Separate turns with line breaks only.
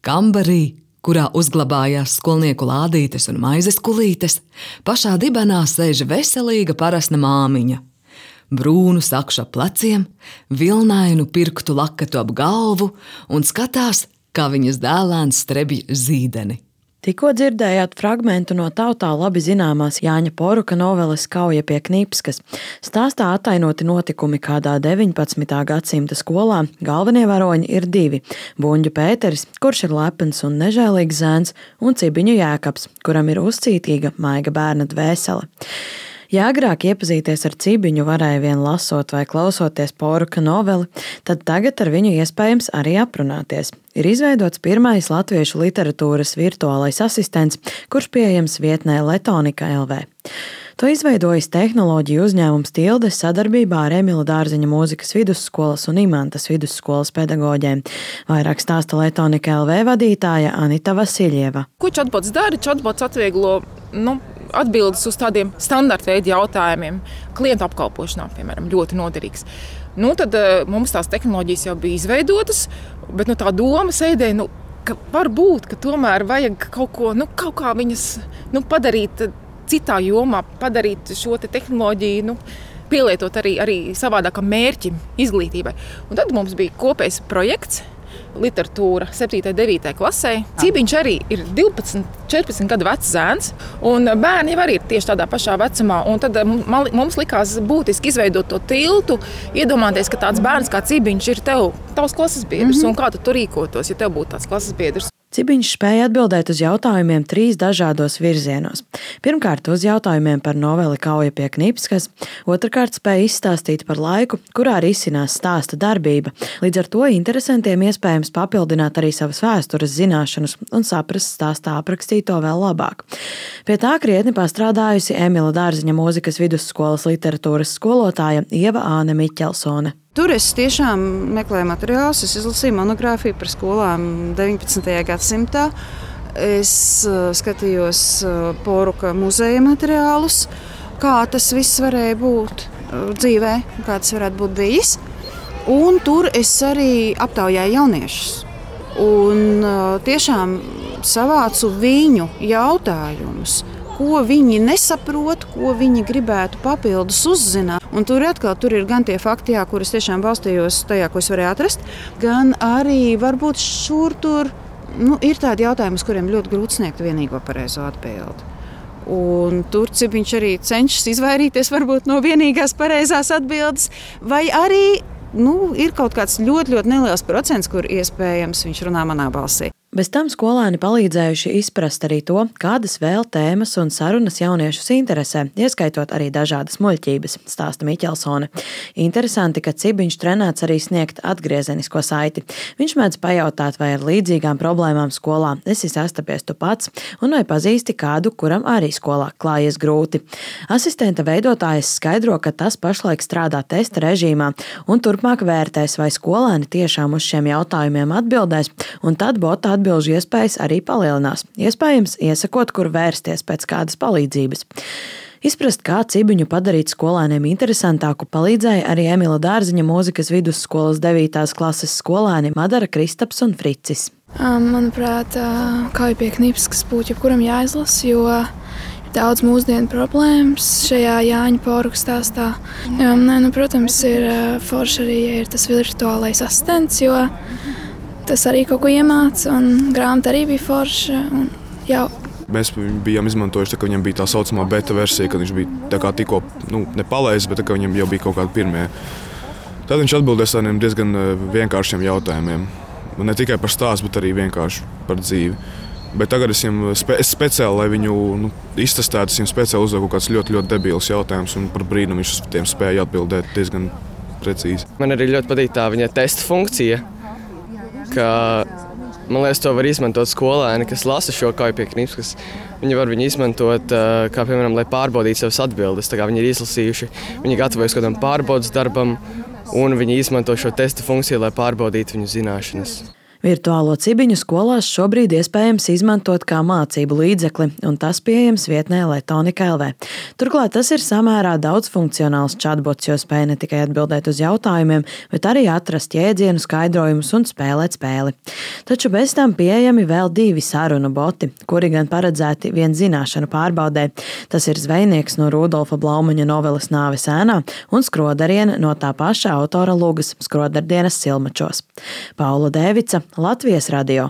Kambarī, kurā uzglabājās skolnieku lādītes un maizes kulītes, pašā dibenā sēž veselīga parasna māmiņa. Brūnu sakšu ap pleciem, vilnainu pirktu laketu ap galvu un skatās, kā viņas dēlēns strebj zīdeni.
Tikko dzirdējāt fragmentu no tautā labi zināmās Jāņa Poruka noveles Kauja pie Knipskas. Stāstā attainoti notikumi kādā 19. gadsimta skolā. Galvenie varoņi ir divi – Buņģu Pēteris, kurš ir lepns un nežēlīgs zēns, un Cibiņu Jēkabs, kuram ir uzcītīga, maiga bērna dvēsele. Ja agrāk iepazīties ar Cibiņu varēja vien lasot vai klausoties Poruka noveli, tad tagad ar viņu iespējams arī aprunāties. Ir izveidots pirmais latviešu literatūras virtuālais asistents, kurš pieejams vietnē Letonika LV. To izveidojis tehnoloģiju uzņēmums Tilde sadarbībā ar Emila Dārziņa mūzikas vidusskolas un Imantas vidusskolas pedagoģiem. Vairāk stāsta Letonika LV vadītāja Anita Vasiļieva.
Ko chatbots dara? Chatbots atvieglo atbildes uz tādiem standarta veidu jautājumiem. Klientu apkalpošanā, piemēram, ļoti noderīgs. Tad mums tās tehnoloģijas jau bija izveidotas, bet tā doma sēdēja, ka varbūt, ka tomēr vajag kaut ko, kaut kā viņas padarīt citā jomā, padarīt šo tehnoloģiju, pielietot arī savādākam mērķim, izglītībai. Un tad mums bija kopējs projekts, literatūra 7. un 9. klasē. Cibiņš arī ir 12, 14 gadu vecs zēns, un bērni jau arī ir tieši tādā pašā vecumā. Un tad mums likās būtiski izveidot to tiltu, iedomāties, ka tāds bērns kā Cibiņš ir tavs klases biedrs, un kā tu tur rīkotos, ja tev būtu tāds klases biedrs.
Cibiņš spēja atbildēt uz jautājumiem 3 dažādos virzienos. Pirmkārt, uz jautājumiem par noveli Kauja pie Knipskas, otrkārt spēja izstāstīt par laiku, kurā risinās stāsta darbība. Līdz ar to interesantiem iespējams papildināt arī savas vēstures zināšanas un saprast stāstā aprakstīto vēl labāk. Pie tā krietni pastrādājusi Emila Dārziņa mūzikas vidusskolas literatūras skolotāja Ieva Āne Miķelsone.
Tur es tiešām meklēju materiālus, es izlasīju monogrāfiju par skolām 19. gadsimtā. Es skatījos Poruka muzeja materiālus, kā tas viss varēja būt dzīvē, kā tas varētu būt bijis. Un tur es arī aptaujāju jauniešus. Un tiešām savācu viņu jautājumus, ko viņi nesaprot, ko viņi gribētu papildus uzzināt. Un tur ir gan tie fakti, kurus tiešām balstījos tajā, ko es varēju atrast, gan arī varbūt šur tur ir tādi jautājumi, uz kuriem ļoti grūti sniegt vienīgo pareizo atbildi. Un tur Cibiņš arī cenšas izvairīties varbūt no vienīgās pareizās atbildes, vai arī ir kaut kāds ļoti, ļoti neliels procents, kur iespējams viņš runā manā balsī.
Bez tam skolēni palīdzējuši izprast arī to, kādas vēl tēmas un sarunas jauniešus interesē, ieskaitot arī dažādas muļķības, stāsta Miķelsone. Interesanti, ka Cibiņš trenēts arī sniegt atgriezenisko saiti. Viņš mēdz pajautāt, vai ar līdzīgām problēmām skolā esi sastapies tu pats, un vai pazīsti kādu, kuram arī skolā klājies grūti. Asistenta veidotājs skaidro, ka tas pašlaik strādā testa režīmā, un turpmāk vērtēs, vai skolēni tiešām uz šiem jautājumiem atbildēs, un tad bota atbilžu iespējas arī palielinās, iespējams iesakot, kur vērsties pēc kādas palīdzības. Izprast, kā Cibiņu padarīt skolēniem interesantāku, palīdzēja arī Emila Dārziņa mūzikas vidusskolas 9. klases skolēni Madara Kristaps un Fricis.
Manuprāt, Kauja pie Knipskas būtu jebkuram jāizlasa, jo ir daudz mūsdienu problēmas šajā Jāņa Poruka stāstā. Protams, ir forši arī, ja ir tas virtuālais asistents, jo tas arī kaut ko iemāca, un grāmata arī bija forša.
Mēs bijām izmantojuši, ka viņam bija tā saucamā beta versija, kad viņš bija tikko nepalaists, bet viņam jau bija kaut kādi pirmie. Tad viņš atbildēs tādiem diezgan vienkāršiem jautājumiem. Ne tikai par stāstu, bet arī vienkārši par dzīvi. Bet tagad es speciāli, lai viņu iztestētu, es viņam speciāli uzdevu kaut kāds ļoti, ļoti debīls jautājums, un par brīnumu viņš uz tiem spēja atbildēt diezgan precīzi.
Man arī ļoti patīk tā viņa testa funkcija, ka, man liekas, to var izmantot skolēni, kas lasa šo Kauju pie Knipskas. Viņi var viņu izmantot, kā piemēram, lai pārbaudītu savas atbildes. Tā kā viņi ir izlasījuši, viņi gatavojas kādam pārbaudas darbam, un viņi izmanto šo testa funkciju, lai pārbaudītu viņu zināšanas.
Virtuālo cibiņu skolās šobrīd iespējams izmantot kā mācību līdzekli, un tas pieejams vietnē Letonika LV. Turklāt tas ir samērā daudzfunkcionāls chatbots, jo spēj ne tikai atbildēt uz jautājumiem, bet arī atrast jēdzienu skaidrojumus un spēlēt spēli. Taču bez tam pieejami vēl 2 sarunu boti, kuri gan paredzēti vien zināšanu pārbaudē. Tas ir zvejnieks no Rudolfa Blaumaņa noveles Nāves ēnā un skrodariene no tā paša autora lugas Skrodardienas Silmačos. Paula Dēvica, Latvijas radio.